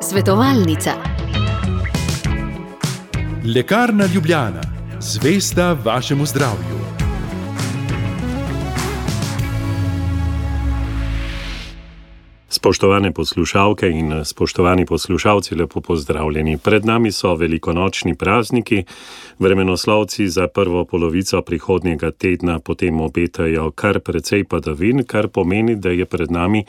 Svetovalnica. Lekarna Ljubljana, zvesta vašemu zdravju. Spoštovane poslušalke in spoštovani poslušalci, lepo pozdravljeni. Pred nami so velikonočni prazniki. Vremenoslovci za prvo polovico prihodnjega tedna potem obetajo kar precej padavin, kar pomeni, da je pred nami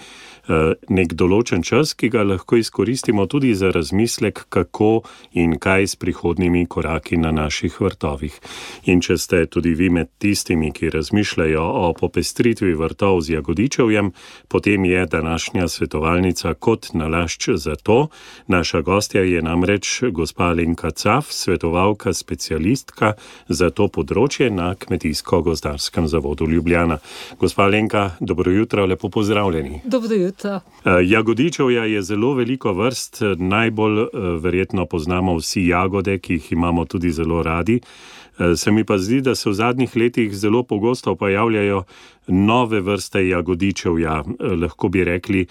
nek določen čas, ki ga lahko izkoristimo tudi za razmislek, kako in kaj s prihodnjimi koraki na naših vrtovih. In če ste tudi vi med tistimi, ki razmišljajo o popestritvi vrtov z jagodičevjem, potem je današnja svetovalnica kot nalašč za to. Naša gostja je namreč gospa Alenka Caf, svetovalka, specialistka za to področje na Kmetijsko-gozdarskem zavodu Ljubljana. Gospa Alenka, dobro jutro, lepo pozdravljeni. Dobro jutro. Jagodičevja je zelo veliko vrst, najbolj verjetno poznamo vsi jagode, ki jih imamo tudi zelo radi. Se mi pa zdi, da se v zadnjih letih zelo pogosto pojavljajo nove vrste jagodičevja. Lahko bi rekli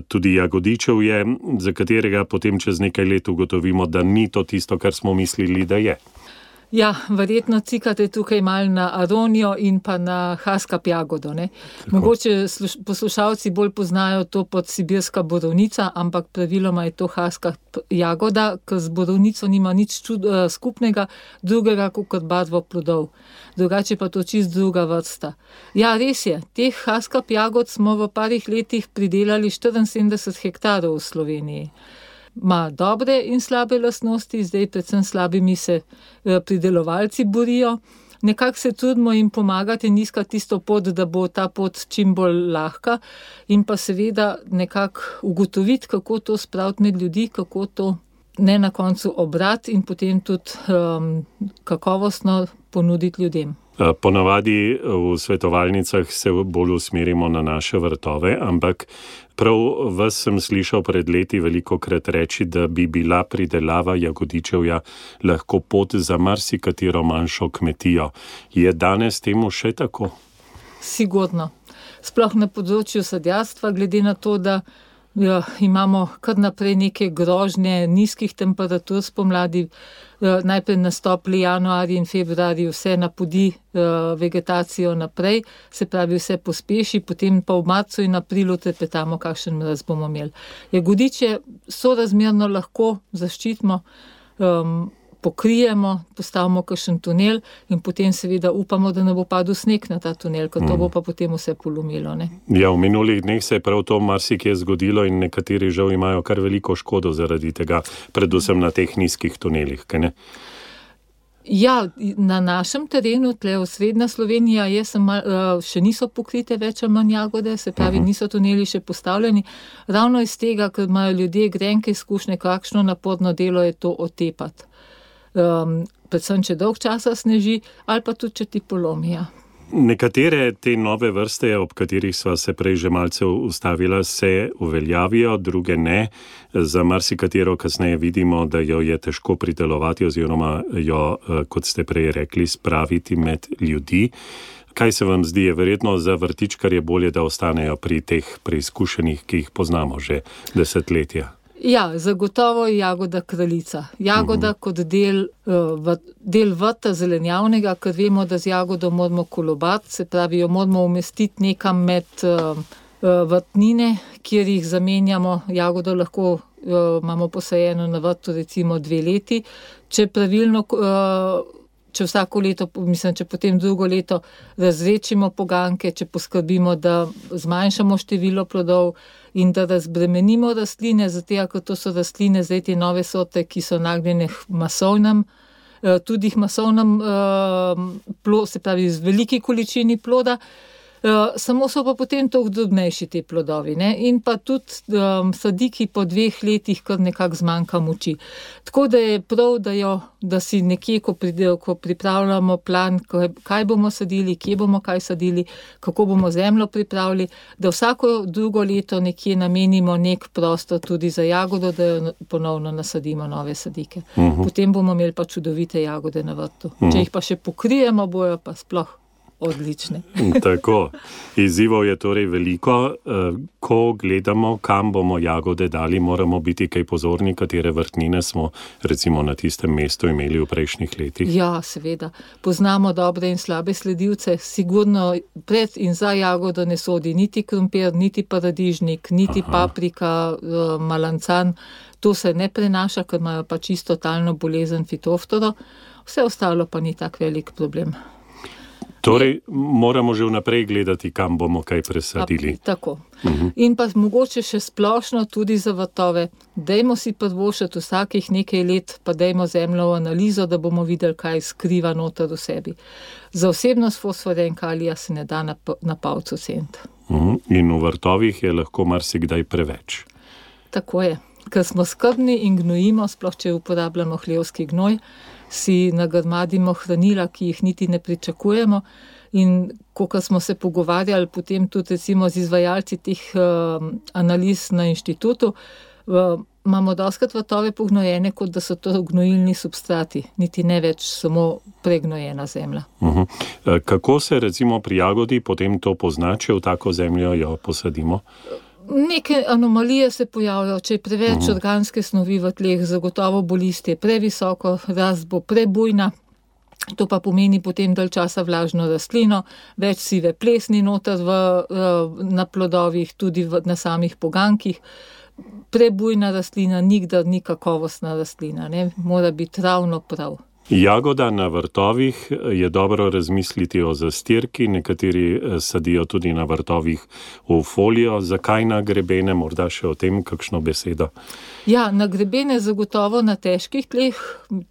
tudi jagodičevje, za katerega potem čez nekaj let ugotovimo, da ni to tisto, kar smo mislili, da je. Ja, verjetno cikate tukaj malo na aronijo in pa na haskap jagodo, ne? Mogoče poslušalci bolj poznajo to pod sibirska borovnica, ampak praviloma je to haskap jagoda, ker z borovnico nima nič skupnega, drugega kot barvo plodov. Drugače pa to čist druga vrsta. Ja, res je, teh haskap jagod smo v parih letih pridelali 74 hektarov v Sloveniji. Ma dobre in slabe lastnosti, zdaj predvsem slabimi se pridelovalci borijo. Nekako se trudimo jim pomagati in iskati tisto pot, da bo ta pot čim bolj lahka in pa seveda nekako ugotoviti, kako to spraviti med ljudi, kako to ne na koncu obrati in potem tudi kakovostno ponuditi ljudem. Ponavadi v svetovalnicah se bolj usmerimo na naše vrtove, ampak prav vas sem slišal pred leti velikokrat reči, da bi bila pridelava jagodičevja lahko pot za marsikatero manjšo kmetijo. Je danes temu še tako? Sigurno. Sploh na področju sadjarstva, glede na to, da imamo kar naprej neke grožnje nizkih temperatur spomladi, najprej nastopli januarji in februarji, vse napodi vegetacijo naprej, se pravi vse pospeši, potem pa v marcu in aprilu trepetamo, kakšen mraz bomo imeli. Jagodiče sorazmerno lahko zaščitimo, pokrijemo, postavimo kakšen tunel in potem seveda upamo, da ne bo padel sneg na ta tunel, ker to bo pa potem vse polomilo, ne? Ja, v minulih dneh se je prav to marsikje zgodilo in nekateri žal imajo kar veliko škodo zaradi tega, predvsem na teh nizkih tunelih, kaj ne? Ja, na našem terenu, tle osrednja Slovenija, še niso pokrite več ali manj jagode, se pravi, niso tuneli še postavljeni. Ravno iz tega, ker imajo ljudje grenke izkušnje, kakšno naporno delo je to otepati. Predvsem, če dolg časa sneži, ali pa tudi, če ti polomijo. Nekatere te nove vrste, ob katerih sva se prej že malce ustavila, se uveljavijo, druge ne. Za marsikatero kasneje vidimo, da jo je težko pridelovati oziroma jo, kot ste prej rekli, spraviti med ljudi. Kaj se vam zdi, je verjetno za vrtičkarje bolje, da ostanejo pri teh preizkušenih, ki jih poznamo že desetletja? Ja, zagotovo je jagoda kraljica. Jagoda kot del vrta zelenjavnega, ker vemo, da z jagodo moramo kolobati, se pravi, jo moramo umestiti nekam med vrtnine, kjer jih zamenjamo. Jagodo lahko imamo posajeno na vrtu recimo 2 leti. Če pravilno, če vsako leto, če potem drugo leto razrečimo poganke, če poskrbimo, da zmanjšamo število plodov in da razbremenimo rastline, zato ker to so rastline, zdaj te nove sorte, ki so nagnjene masovnem, tudi masovnem se pravi z veliki količini ploda, samo so pa potem toliko drobnejši te plodovi, ne? In pa tudi sadiki po 2 letih kar nekako zmanjka moči. Tako da je prav, da si nekje, ko pripravljamo plan, kaj bomo sadili, kje bomo kaj sadili, kako bomo zemljo pripravili, da vsako drugo leto nekje namenimo nek prostor tudi za jagodo, da jo ponovno nasadimo nove sadike. Potem bomo imeli pa čudovite jagode na vrtu. Če jih pa še pokrijemo, bojo pa sploh odlične. Tako, izzivov je torej veliko. Ko gledamo, kam bomo jagode dali, moramo biti kaj pozorni, katere vrtnine smo recimo na tistem mestu imeli v prejšnjih letih. Ja, seveda. Poznamo dobre in slabe sledilce. Sigurno pred in za jagodo ne sodi niti krompir, niti paradižnik, niti paprika, malancan. To se ne prenaša, ker imajo pa čisto totalno bolezen fitoftoro. Vse ostalo pa ni tak velik problem. Torej, moramo že vnaprej gledati, kam bomo kaj presadili. Tako. In pa mogoče še splošno tudi za vrtove. Dajmo si privoščiti vsakih nekaj let, pa dajmo zemljo v analizo, da bomo videli, kaj skriva noter v sebi. Za vsebnost fosforja in kalija se ne da na palcu oceniti. In v vrtovih je lahko marsikdaj preveč. Tako je. Ker smo skrbni in gnojimo, sploh če uporabljamo hlevski gnoj, si nagrmadimo hranila, ki jih niti ne pričakujemo. In ko smo se pogovarjali potem tudi recimo z izvajalci teh analiz na inštitutu, imamo dostikrat vrtove pognojene, kot da so to gnojilni substrati, niti ne več samo pregnojena zemlja. Kako se recimo pri jagodi potem to pozna, če v tako zemljo jo posadimo? Neke anomalije se pojavljajo, če je preveč organske snovi v tleh, zagotovo bo listje previsoko, rast bo prebujna, to pa pomeni potem dalj časa vlažno rastlino, več sive plesni noter na plodovih, tudi na samih pogankih. Prebujna rastlina nikdar ni kakovostna rastlina, ne? Mora biti ravno prav. Jagoda na vrtovih je dobro razmisliti o zastirki, nekateri sadijo tudi na vrtovih v folijo. Zakaj na grebene, morda še o tem kakšno besedo? Ja, na grebene zagotovo na težkih tleh,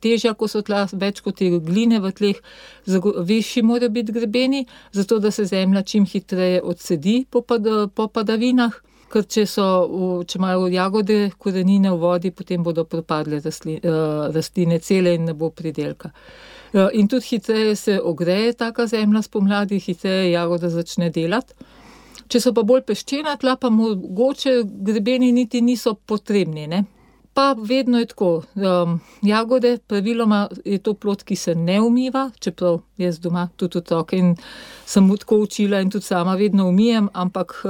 težja, ko so tla, več kot je gline v tleh, višji morajo biti grebeni, zato da se zemlja čim hitreje odsedi po padavinah. Ker če imajo jagode korenine v vodi, potem bodo propadle rastline cele in ne bo pridelka. In tudi hitreje se ogreje taka zemlja spomladi, hitreje jagoda začne delati. Če so pa bolj peščena tla, pa mogoče grebeni niti niso potrebni, ne? Pa vedno je tako. Jagode, praviloma je to plod, ki se ne umiva, čeprav jaz doma tudi otroke in sem mu tako učila in tudi sama vedno umijem, ampak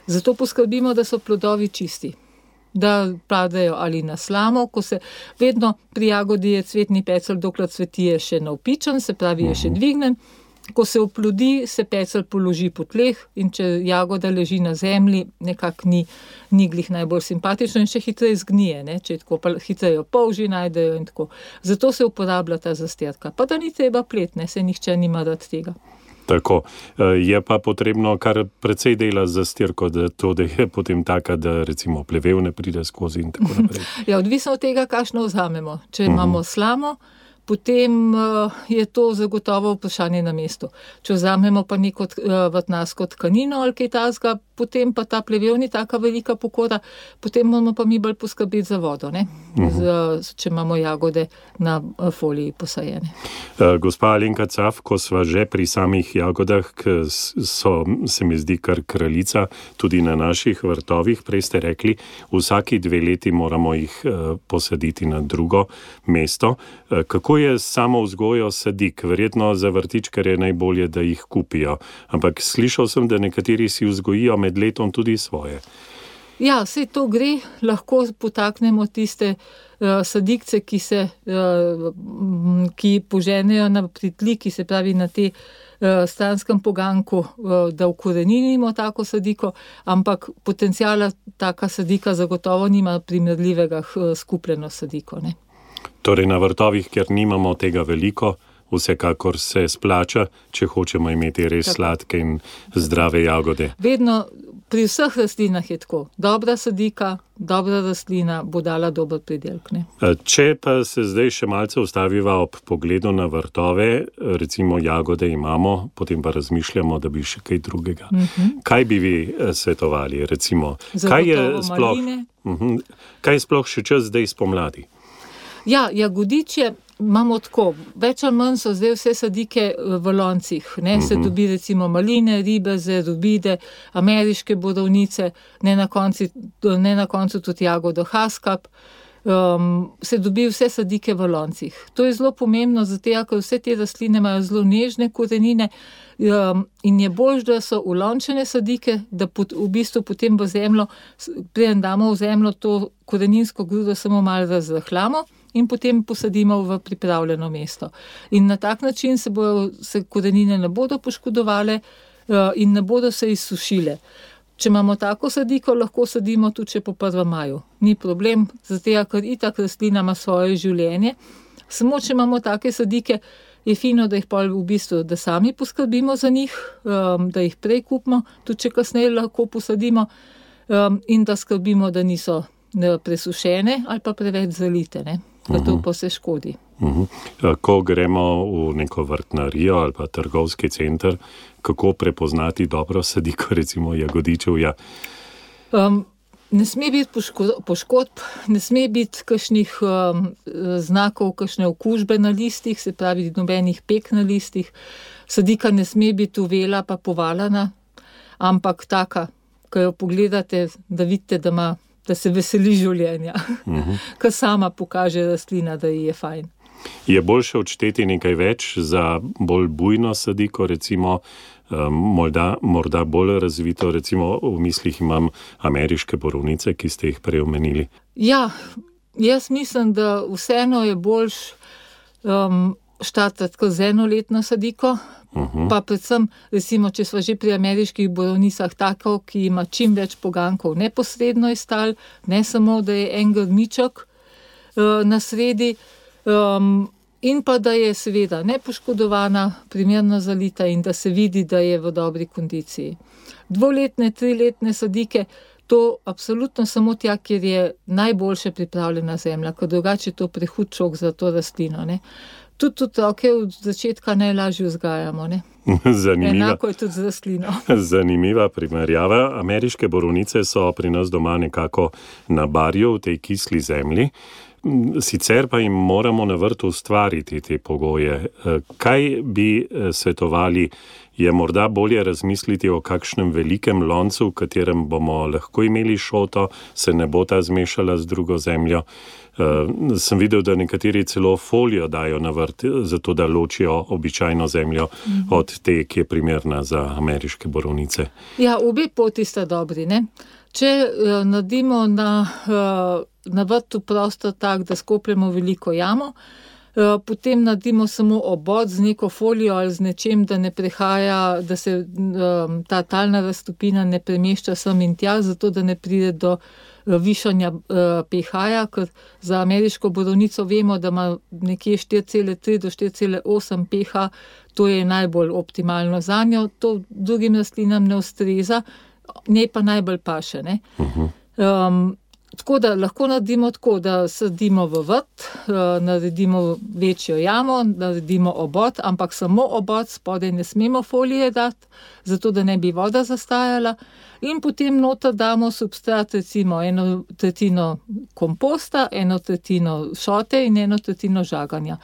zato poskrbimo, da so plodovi čisti, da padejo ali na slamo, ko se vedno pri jagodi je cvetni pecelj, dokler cveti je še navpičen, se pravi je še dvignen, ko se oplodi, se pecelj položi po tleh in če jagoda leži na zemlji, nekako ni glih najbolj simpatično in še hitreje zgnije, ne? Če je tako, pa hitreje polži najdejo in tako. Zato se uporablja ta zastirka, pa da ni treba plet, ne? Se nihče nima rad tega. Tako, je pa potrebno kar precej dela za zastirko, da je potem taka, da recimo plevel ne pride skozi in tako naprej. Ja, odvisno od tega, kakšno vzamemo. Če imamo slamo, potem je to zagotovo vprašanje na mestu. Če vzamemo pa neko vrtnarsko tkanino ali kaj takega, potem pa ta plevel ni taka velika pokora, potem moramo pa mi bolj poskrbeti za vodo, ne? Če imamo jagode na foliji posajene. Gospa Alenka Caf, ko sva že pri samih jagodah, se mi zdi kar kraljica, tudi na naših vrtovih, prej ste rekli, vsaki 2 leti moramo jih posaditi na drugo mesto. Kako je samo vzgojo sadik? Verjetno za vrtičkarje najbolje, da jih kupijo. Ampak slišal sem, da nekateri si vzgojijo med letom tudi svoje. Ja, saj to gre. Lahko potaknemo tiste sadikce, ki poženejo na pritli, ki se pravi na te stranskem poganku, da ukoreninimo tako sadiko, ampak potenciala taka sadika zagotovo nima primerljivega skupljeno sadiko, ne? Torej na vrtovih, ker nimamo tega veliko, vsekakor se splača, če hočemo imeti res sladke in zdrave jagode. Vedno pri vseh rastlinah je tako. Dobra sadika, dobra rastlina bo dala dober pridelek, ne? Če pa se zdaj še malce ustaviva ob pogledu na vrtove, recimo jagode imamo, potem pa razmišljamo, da bi še kaj drugega. Kaj bi vi svetovali, recimo? Zagotovo maline. Kaj je sploh še čas zdaj spomladi? Ja, jagodičje imamo tako, več ali manj so zdaj vse sadike v loncih, ne, se dobi recimo maline, ribeze, rubide, ameriške borovnice, ne na koncu tudi jagodo haskap. se dobi vse sadike v loncih. To je zelo pomembno, zato ker vse te rastline imajo zelo nežne korenine in je bolj, da so ulončene sadike, da v bistvu potem v zemljo, preden damo v zemljo to koreninsko grudo, samo malo razrahljamo in potem posadimo v pripravljeno mesto. In na tak način se korenine ne bodo poškodovale in ne bodo se izsušile. Če imamo tako sadiko, lahko sadimo tudi še po 1. maju. Ni problem, zato ker itak rastlina ima svoje življenje. Samo če imamo take sadike, je fino, da jih pol v bistvu, da sami poskrbimo za njih, da jih prej kupimo, tudi če kasneje lahko posadimo in da skrbimo, da niso presušene ali pa preveč zalite, ne? Ker to pa se škodi. Ko gremo v neko vrtnarijo ali pa trgovski center, kako prepoznati dobro sadiko, recimo jagodičevja? Ne sme biti poškodb, ne sme biti kakšnih znakov, kakšne okužbe na listih, se pravi nobenih pek na listih. Sadika ne sme biti uvela pa povalana, ampak taka, ko jo pogledate, da vidite, da se veseli življenja, ker sama pokaže rastlina, da ji je fajn. Je boljše odšteti nekaj več za bolj bujno sadiko, recimo morda bolj razvito, recimo v mislih imam ameriške borovnice, ki ste jih prej omenili? Ja, jaz mislim, da vseeno je boljš štartati kot z enoletno sadiko, pa predvsem, recimo, če smo že pri ameriških borovnicah tako, ki ima čim več pogankov neposredno iz tal, ne samo, da je en grmiček na sredi, in pa da je seveda nepoškodovana, primerno zalita in da se vidi, da je v dobri kondiciji. 2-letne, 3-letne sadike, to absolutno samo tja, kjer je najboljše pripravljena zemlja, ker drugače je to prehud šok za to rastlino, ne. Tudi otroke od začetka najlažje vzgajamo, ne. Enako je tudi z rastlino. Zanimiva primerjava. Ameriške borovnice so pri nas doma nekako na barju v tej kisli zemlji. Sicer pa jim moramo na vrtu ustvariti te pogoje. Kaj bi svetovali? Je morda bolje razmisliti o kakšnem velikem loncu, v katerem bomo lahko imeli šoto, se ne bo ta zmešala z drugo zemljo. Sem videl, da nekateri celo folijo dajo na vrt, zato da ločijo običajno zemljo od te, ki je primerna za ameriške borovnice. Ja, obe poti sta dobri, ne. Če naredimo na vrtu prostor tak, da skopljemo veliko jamo, potem naredimo samo obod z neko folijo ali z nečem, da ne prehaja, da se ta talna raztopina ne premešča sem in tja, zato da ne pride do višanja pH-ja, ker za ameriško borovnico vemo, da ima nekje 4,3 do 4,8 pH, to je najbolj optimalno zanjo, to drugim rastlinam ne ustreza, njej pa najbolj paše, ne. Tako da lahko naredimo tako, da sadimo v vrt, naredimo večjo jamo, naredimo obod, ampak samo obod, spodaj ne smemo folije dati, zato da ne bi voda zastajala, in potem noter damo substrat, recimo 1/3 komposta, 1/3 šote in 1/3 žaganja.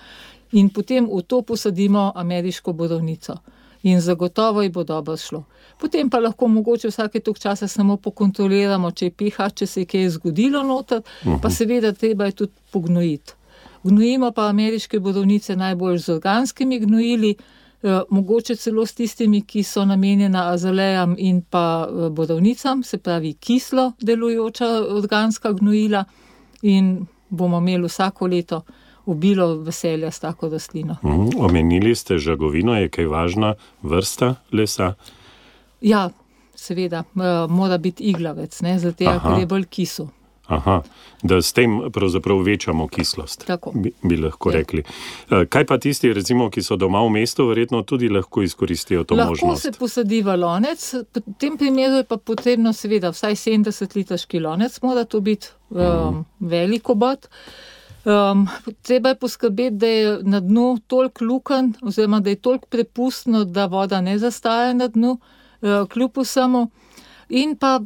In potem v to posadimo ameriško borovnico. In zagotovo ji bo dobro šlo. Potem pa lahko mogoče vsake toliko časa samo pokontroliramo, če je pH, če se je kaj zgodilo noter, pa seveda treba je tudi pognojiti. Gnojimo pa ameriške borovnice najbolj z organskimi gnojili, mogoče celo s tistimi, ki so namenjena azalejam in pa borovnicam, se pravi kislo delujoča organska gnojila, in bomo imeli vsako leto obilo veselja s tako rastlino. Omenili ste žagovino, je kaj važna vrsta lesa? Ja, seveda, mora biti iglavec, ne, zato ker je bolj kisel. Da s tem pravzaprav večamo kislost, tako bi lahko rekli. Kaj pa tisti, recimo, ki so doma v mestu, verjetno tudi lahko izkoristijo to možnost? Lahko se posadi v lonec, v tem primeru je pa potrebno seveda vsaj 70-litrski lonec, mora to biti velik obod. Treba je poskrbeti, da je na dnu toliko lukenj, oziroma da je toliko prepustno, da voda ne zastaja na dnu, kljub vsemu. In pa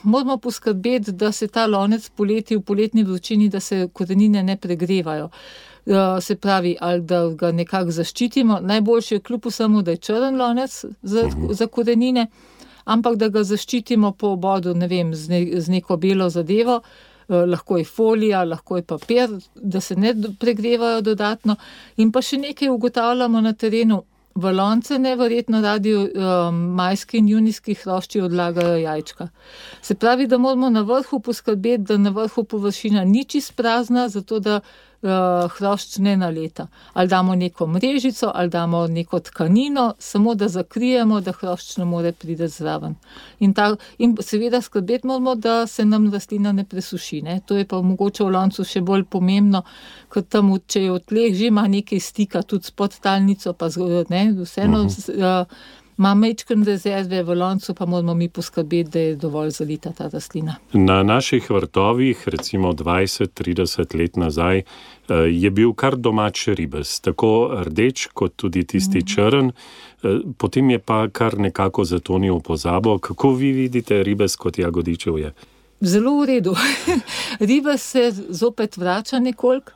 moramo poskrbeti, da se ta lonec poleti v poletni vročini, da se korenine ne pregrevajo. Se pravi, ali da ga nekako zaščitimo. Najboljše je kljub vsemu, da je črn lonec za korenine, ampak da ga zaščitimo po obodu, ne vem, z neko belo zadevo, lahko je folija, lahko je papir, da se ne pregrevajo dodatno. In pa še nekaj ugotavljamo na terenu. V lonce neverjetno radi majski in junijski hrošči odlagajo jajčka. Se pravi, da moramo na vrhu poskrbeti, da na vrhu površina ni čisto prazna, zato da hrošč ne naleta. Ali damo neko mrežico, ali damo neko tkanino, samo da zakrijemo, da hrošč ne more priti zraven. In seveda skrbeti moramo, da se nam rastlina ne presuši. Ne? To je pa mogoče v loncu še bolj pomembno, ker tam, če je v tleh, že ima nekaj stika tudi s podtalnico, pa vseeno ima majčken rezerve v loncu, pa moramo mi poskrbeti, da je dovolj zalita ta rastlina. Na naših vrtovih, recimo 20-30 let nazaj, je bil kar domač ribez, tako rdeč kot tudi tisti črn, potem je pa kar nekako zatonil v pozabo. Kako vi vidite ribez kot jagodičevje? Zelo v redu. Ribez se zopet vrača nekoliko.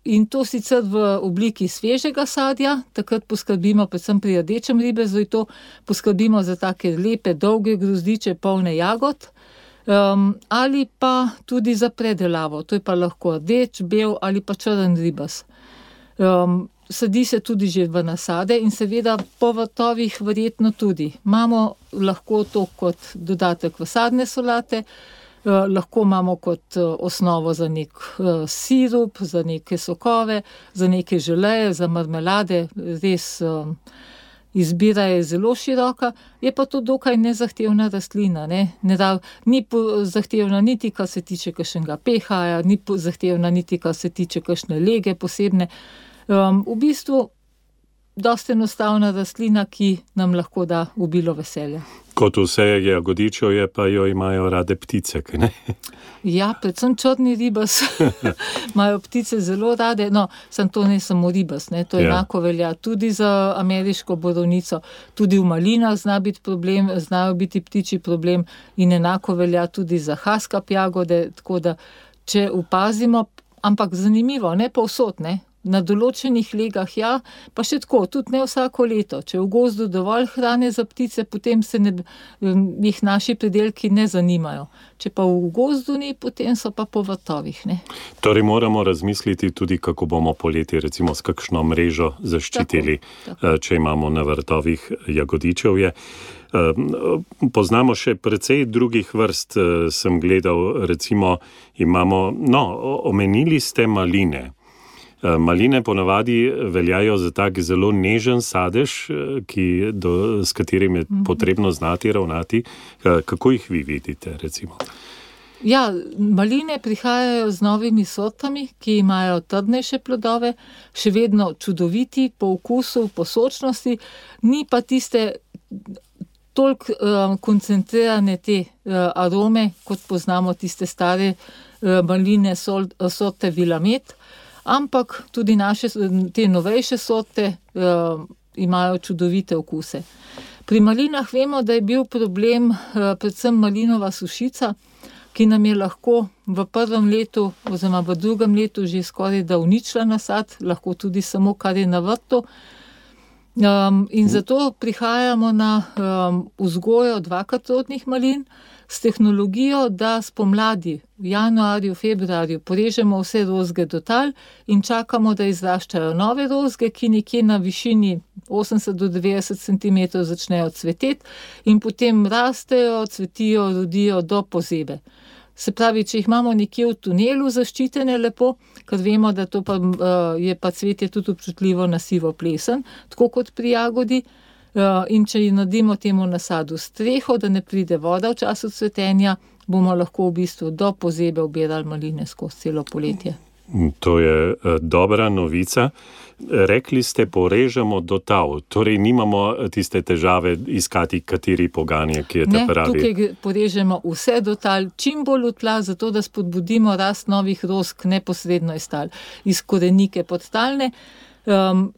In to sicer v obliki svežega sadja, takrat poskrbimo, predvsem pri rdečem ribezu, to poskrbimo za take lepe, dolge grozdiče, polne jagod, ali pa tudi za predelavo, to je pa lahko rdeč, bel ali pa črn ribez. Sadi se tudi že v nasade in seveda po vrtovih verjetno tudi. Imamo lahko to kot dodatek v sadne solate, lahko imamo kot osnovo za nek sirup, za neke sokove, za neke želeje, za marmelade, res izbira je zelo široka, je pa to dokaj nezahtevna rastlina. Ni zahtevna niti, kar se tiče kakšnega pH-ja, ni zahtevna niti, kar se tiče kakšne lege posebne. V bistvu dosti enostavna rastlina, ki nam lahko da obilo veselja. Kot vse jagodičevje, pa jo imajo rade ptice, kaj ne? Ja, predvsem črni ribez imajo ptice zelo rade, samo to ne samo ribez, to enako velja tudi za ameriško borovnico, tudi v malinah znajo biti ptičji problem in enako velja tudi za haskap jagode, tako da če opazimo, ampak zanimivo, ne povsod, na določenih legah, pa še tako, tudi ne vsako leto. Če je v gozdu dovolj hrane za ptice, potem jih naši pridelki ne zanimajo. Če pa v gozdu ni, potem so pa po vrtovih. Torej moramo razmisliti tudi, kako bomo poleti recimo s kakšno mrežo zaščitili, tako. Če imamo na vrtovih jagodičevje. Poznamo še precej drugih vrst, sem gledal, recimo omenili ste maline. Maline ponavadi veljajo za tak zelo nežen sadež, s katerim je potrebno znati ravnati. Kako jih vi vidite, recimo? Ja, maline prihajajo z novimi sortami, ki imajo trdnejše plodove, še vedno čudoviti po okusu, po sočnosti, ni pa tiste toliko koncentrirane te arome, kot poznamo tiste stare maline sorte Vilamet, ampak tudi naše, te novejše sorte imajo čudovite okuse. Pri malinah vemo, da je bil problem predvsem malinova sušica, ki nam je lahko v prvem letu oziroma v drugem letu že skoraj da uničila nasad, lahko tudi samo kar je na vrtu. In zato prihajamo na vzgojo dvakratrodnih malin s tehnologijo, da spomladi v januarju, februarju porežemo vse rozge do tal in čakamo, da izraščajo nove rozge, ki nekje na višini 80 do 90 cm začnejo cveteti in potem rastejo, cvetijo, rodijo do pozebe. Se pravi, če jih imamo nekje v tunelu zaščitene lepo, ker vemo, da to je pa cvetje tudi občutljivo na sivo plesen, tako kot pri jagodi, in če naredimo temu nasadu streho, da ne pride voda v času cvetenja, bomo lahko v bistvu do pozebe obirali maline skozi celo poletje. To je dobra novica. Rekli ste, porežemo do tal, torej nimamo tiste težave iskati, kateri poganje, ki je ta pravi. Ne, tukaj porežemo vse do tal, čim bolj v tla, zato da spodbudimo rast novih rozg neposredno iz tal, iz korenike podtalne,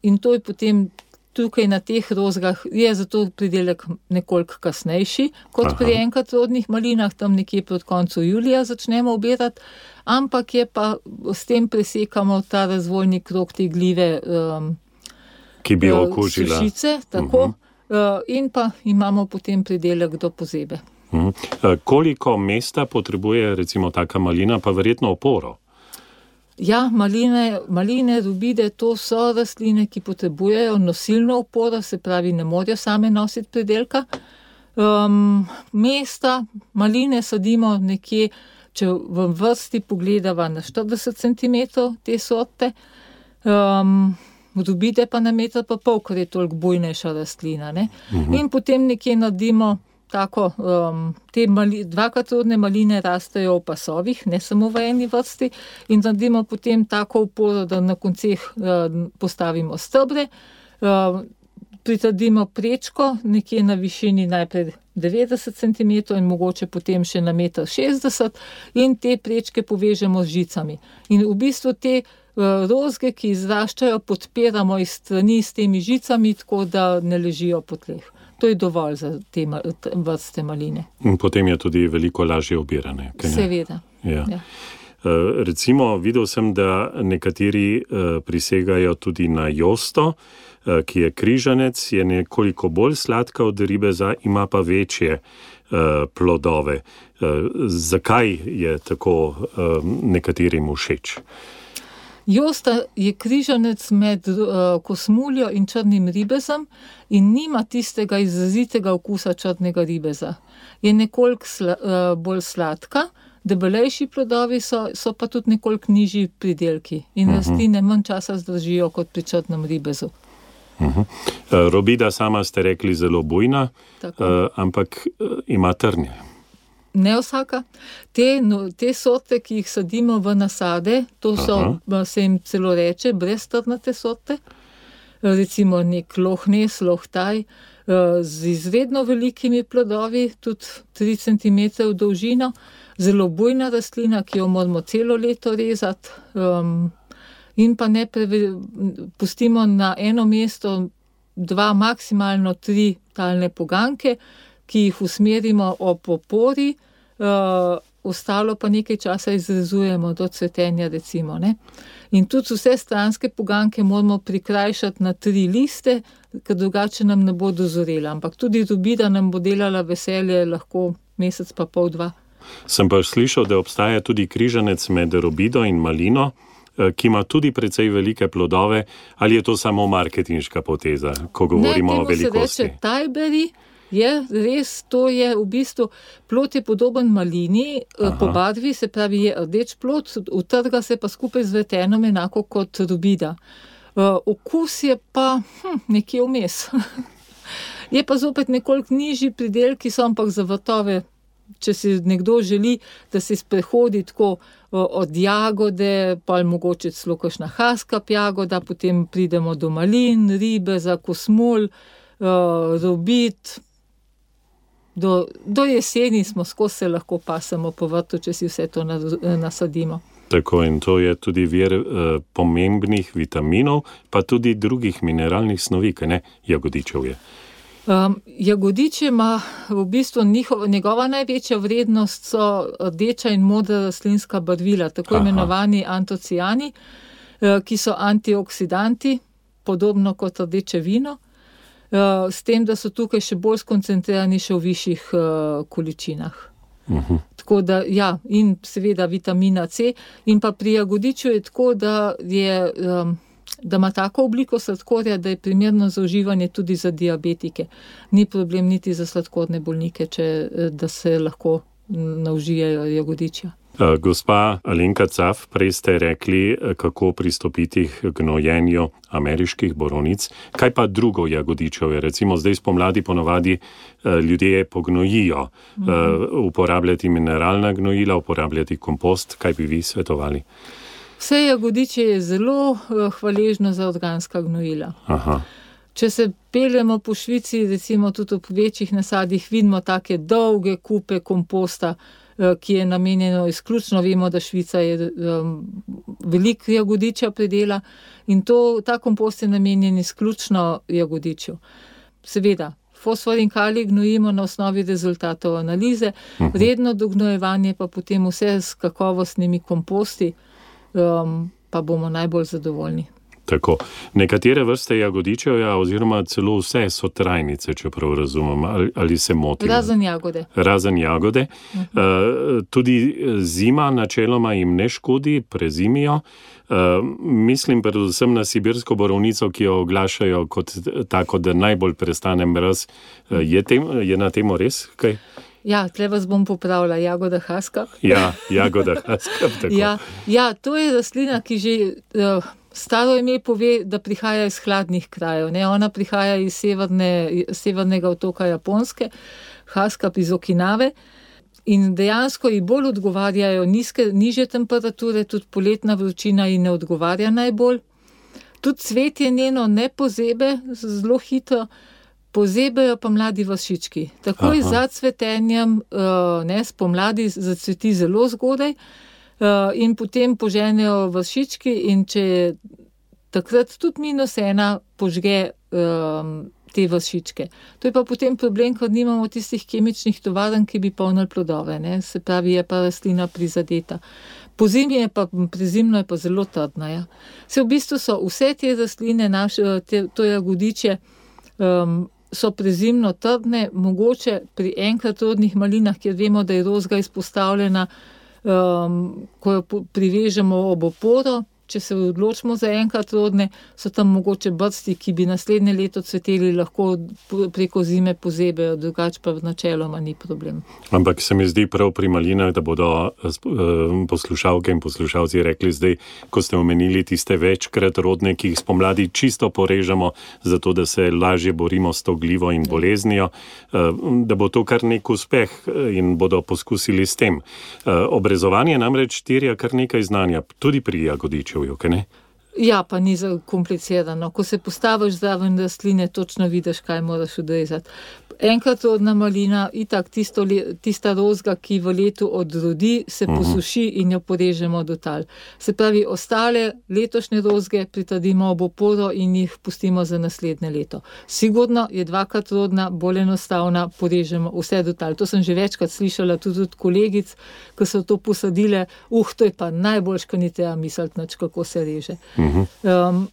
in to je potem tukaj na teh rozgah, je zato pridelek nekoliko kasnejši, kot pri enkratrodnih malinah, tam nekje proti koncu julija začnemo obirati, ampak je pa s tem presekamo ta razvojni krog te gljive ki bi okužila sušice, tako, in pa imamo potem pridelek do pozebe. Koliko mesta potrebuje recimo taka malina, pa verjetno oporo? Ja, maline, robide, to so rastline, ki potrebujejo nosilno oporo, se pravi, ne morejo same nositi pridelka. Mesta, maline sadimo nekje, če v vrsti pogledava na 40 cm te sorte, robide pa na 1,5 metra, ker je toliko bujnejša rastlina, ne. In potem nekje naredimo tako, te dvakratrodne maline rastejo v pasovih, ne samo v eni vrsti, in naredimo potem tako oporo, da na konceh postavimo stebre, pritrdimo prečko nekje na višini najprej 90 cm in mogoče potem še na 1,60 m in te prečke povežemo z žicami. In v bistvu te rozge, ki izraščajo, podpiramo iz strani s temi žicami, tako da ne ležijo po tleh. To je dovolj za te vrste maline. In potem je tudi veliko lažje obirane. Seveda. Ja. Recimo, videl sem, da nekateri prisegajo tudi na josto, ki je križanec, je nekoliko bolj sladka od ribeza, ima pa večje plodove. Zakaj je tako nekaterim všeč? Josta je križanec med kosmuljo in črnim ribezom in nima tistega izrazitega okusa črnega ribeza. Je nekoliko bolj sladka, debelejši plodovi so pa tudi nekoliko nižji pridelki in rastline manj časa zdržijo kot pri črnem ribezu. Robida sama ste rekli zelo bujna, ampak ima trnje. Ne vsaka. Te sorte, ki jih sadimo v nasade, to so, se jim celo reče, breztrnate sorte. Recimo nek lohnes, lohtaj, z izredno velikimi plodovi, tudi 3 cm dolžino, zelo bujna rastlina, ki jo moramo celo leto rezati, in pa ne pustimo na eno mesto 2, maksimalno 3 talne poganke, ki jih usmerimo ob opori, ostalo pa nekaj časa izrezujemo do cvetenja, recimo, ne. In tudi vse stranske poganke moramo prikrajšati na 3 liste, ker drugače nam ne bo dozorela. Ampak tudi robida nam bo delala veselje lahko mesec pa pol, 2. Sem pa slišal, da obstaja tudi križanec med robido in malino, ki ima tudi precej velike plodove. Ali je to samo marketinška poteza, ko govorimo o velikosti? Ne, temu se reče tajberi. Je res, to je v bistvu, plod je podoben malini, po barvi, se pravi je rdeč plod, utrga se pa skupaj z vretenom enako kot robida. Okus je pa nekje vmes. Je pa zopet nekoliko nižji pridelki so, ampak za vrtove, če si nekdo želi, da se sprehodi tako od jagode, pa mogoče celo kakšna haskap jagoda, potem pridemo do malin, ribeza, kosmul, robid. Do jeseni smo skozi, se lahko pasemo po vrtu, če si vse to nasadimo. Tako, in to je tudi vir pomembnih vitaminov, pa tudi drugih mineralnih snovi, kaj ne, jagodičev je. Jagodiče ima v bistvu njegova največja vrednost so rdeča in modra rastlinska barvila, tako imenovani antocijani, ki so antioksidanti, podobno kot rdeče vino, s tem, da so tukaj še bolj skoncentrirani še v višjih količinah. Tako da, ja, in seveda vitamina C, in pa pri jagodiču je tako, da ima tako obliko sladkorja, da je primerno za uživanje tudi za diabetike. Ni problem niti za sladkorne bolnike, da se lahko naužijajo jagodičja. Gospa Alenka Caf, prej ste rekli, kako pristopiti k gnojenju ameriških borovnic. Kaj pa drugo jagodičevje? Recimo zdaj spomladi ponovadi ljudje pognojijo. Uporabljati mineralna gnojila, uporabljati kompost. Kaj bi vi svetovali? Vse jagodiče je zelo hvaležno za organska gnojila. Če se peljemo po Švici, recimo tudi v večjih nasadih, vidimo take dolge kupe komposta, ki je namenjeno izključno, vemo, da Švica je veliko jagodiča predela in ta kompost je namenjen izključno jagodiču. Seveda, fosfor in kalij gnojimo na osnovi rezultatov analize, redno dognojevanje pa potem vse s kakovostnimi komposti, pa bomo najbolj zadovoljni. Tako. Nekatere vrste jagodičevja oziroma celo vse so trajnice, čeprav razumem, ali se motim. Razen jagode. Tudi zima načeloma jim ne škodi, prezimijo. Mislim predvsem na sibirsko borovnico, ki jo oglašajo kot tako, da najbolj prestane mraz. Je na temo res kaj? Ja, tle vas bom popravila, jagoda haskap. Ja, jagoda haskap, tako. Ja, to je rastlina, ki že staro ime pove, da prihaja iz hladnih krajev. Ne? Ona prihaja iz severnega otoka Japonske, haskap iz Okinave. In dejansko ji bolj odgovarjajo nižje temperature, tudi poletna vročina ji ne odgovarja najbolj. Tudi cvetje njeno ne pozebe zelo hitro, pozebejo pa mladi vršički. Takoj za cvetenjem spomladi zacveti zelo zgodaj in potem poženejo vršički in če je takrat tudi -1, požge te vršičke. To je pa potem problem, ker nimamo tistih kemičnih tovarn, ki bi polnili plodove, ne? Se pravi, je pa rastlina prizadeta. Prezimno je pa zelo trdna. Ja. V bistvu so vse te rastline, to jagodiče, so prezimno trdne, mogoče pri enkratrodnih malinah, kjer vemo, da je rozga izpostavljena, ko jo privežemo ob oporo. Če se odločimo za enkratrodne, so tam mogoče brsti, ki bi naslednje leto cveteli, lahko preko zime pozebejo, drugače pa načeloma ni problem. Ampak se mi zdi prav pri malinah, da bodo poslušalke in poslušalci rekli zdaj, ko ste omenili tiste večkrat rodne, ki jih spomladi čisto porežemo, zato da se lažje borimo s to glivo in boleznijo, da bo to kar nek uspeh in bodo poskusili s tem. Obrezovanje namreč terja kar nekaj znanja, tudi pri jagodiču. Ja, pa ni komplicirano. Ko se postaviš zraven rastline, točno vidiš, kaj moraš odrezati. Enkratrodna malina, itak tista rozga, ki v letu odrodi, se posuši in jo porežemo do tal. Se pravi, ostale letošnje rozge pritrdimo ob oporo in jih pustimo za naslednje leto. Sigurno je dvakratrodna, bolj enostavna, porežemo vse do tal. To sem že večkrat slišala tudi od kolegic, ki so to posadile. To je pa najboljš, ko ni treba misliti, kako se reže.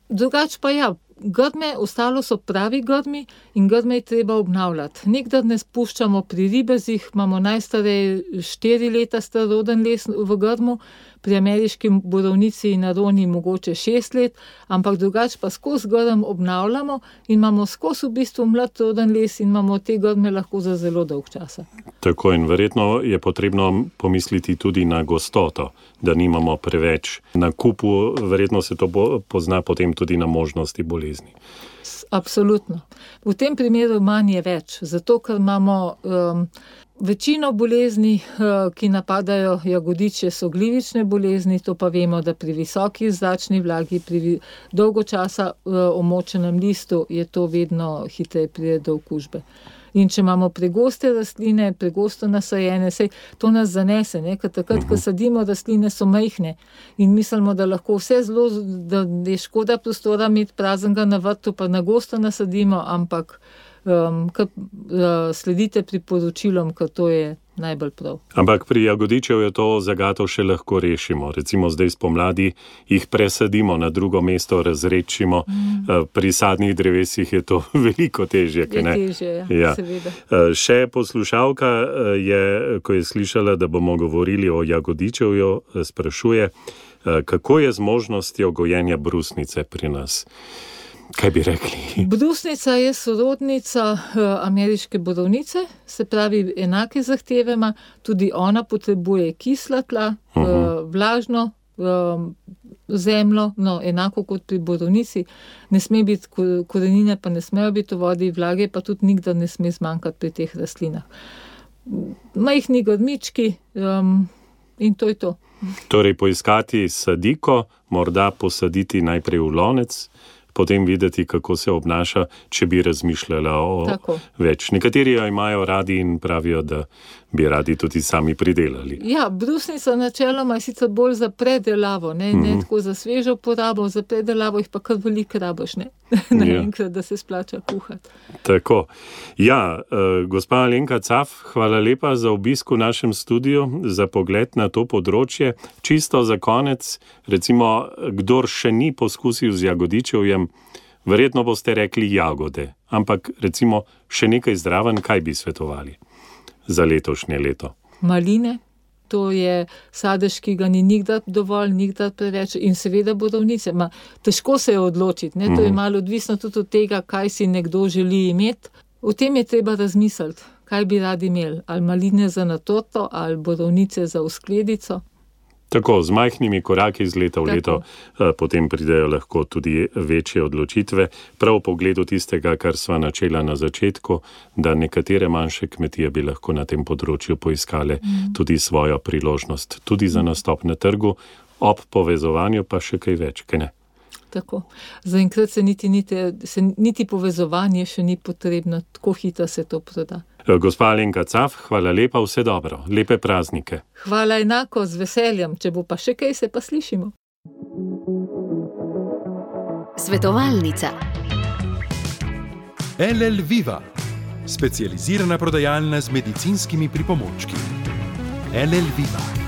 Drugač pa ja, grme, ostalo so pravi grmi in grme je treba obnavljati. Nikdar ne spuščamo pri ribezih, imamo najstarej 4 leta staroden les v grmu, pri ameriški borovnici in aroni mogoče 6 let, ampak drugače pa skozi grm obnavljamo in imamo skozi v bistvu mlad roden les in imamo te grme lahko za zelo dolg časa. Tako in verjetno je potrebno pomisliti tudi na gostoto, da nimamo preveč na kupu, verjetno se to pozna potem tudi na možnosti bolezni. Absolutno. V tem primeru manj je več, zato ker imamo večino bolezni, ki napadajo jagodiče, so glivične bolezni, to pa vemo, da pri visoki zračni vlagi, pri dolgo časa omočenem listu je to vedno hitreje pride do okužbe. In če imamo pregoste rastline, pregosto nasajene, to nas zanese, ne? Ker takrat, ko sadimo rastline, so majhne in mislimo, da lahko vse zelo, da je škoda prostora imeti praznega na vrtu, pa na gosto nasadimo, ampak sledite priporočilom, ker to je najbolj prav. Ampak pri jagodičev je to zagato še lahko rešimo. Recimo zdaj spomladi jih presadimo na drugo mesto, razredčimo. Pri sadnih drevesih je to veliko težje. Je težje, ja, seveda. Še poslušalka je, ko je slišala, da bomo govorili o jagodičevju, sprašuje, kako je z možnostjo gojenja brusnice pri nas. Kaj bi rekli? Brusnica je sorodnica ameriške borovnice, se pravi enake zahteve ima, tudi ona potrebuje kisla tla, vlažno zemljo, enako kot pri borovnici. Ne sme biti, korenine pa ne smejo biti v vodi, vlage pa tudi nikdar ne sme zmanjkati pri teh rastlinah. Majhni grmički in to je to. Torej poiskati sadiko, morda posaditi najprej v lonec, potem videti, kako se obnaša, če bi razmišljala o več. Nekateri jo imajo radi in pravijo, da bi radi tudi sami pridelali. Ja, brusnica načeloma je sicer bolj za predelavo, ne tako za svežo porabo, za predelavo jih pa kar veliko rabiš, ne. naenkrat, da se splača kuhati. Tako. Ja, gospa Alenka Caf, hvala lepa za obisk v našem studiu, za pogled na to področje. Čisto za konec, recimo, kdor še ni poskusil z jagodičevjem, verjetno boste rekli jagode, ampak recimo še nekaj zraven, kaj bi svetovali za letošnje leto? Maline, to je sadež, ki ga ni nikdar dovolj, nikdar preveč in seveda borovnice. Težko se je odločiti, ne? To je malo odvisno tudi od tega, kaj si nekdo želi imeti. O tem je treba razmisliti, kaj bi radi imeli, ali maline za na torto, ali borovnice za v skledico. Tako, z majhnimi koraki iz leta v leto potem pridejo lahko tudi večje odločitve. Prav v pogledu tistega, kar sva načela na začetku, da nekatere manjše kmetije bi lahko na tem področju poiskale tudi svojo priložnost, tudi za nastop na trgu, ob povezovanju pa še kaj več, kaj ne? Tako. Zaenkrat se niti povezovanje še ni potrebno, tako hitro se to proda. Gospa Alenka Caf, hvala lepa, vse dobro, lepe praznike. Hvala enako, z veseljem, če bo pa še kaj, se pa slišimo. Svetovalnica. LL Viva, specializirana prodajalna z medicinskimi pripomočki. LL Viva.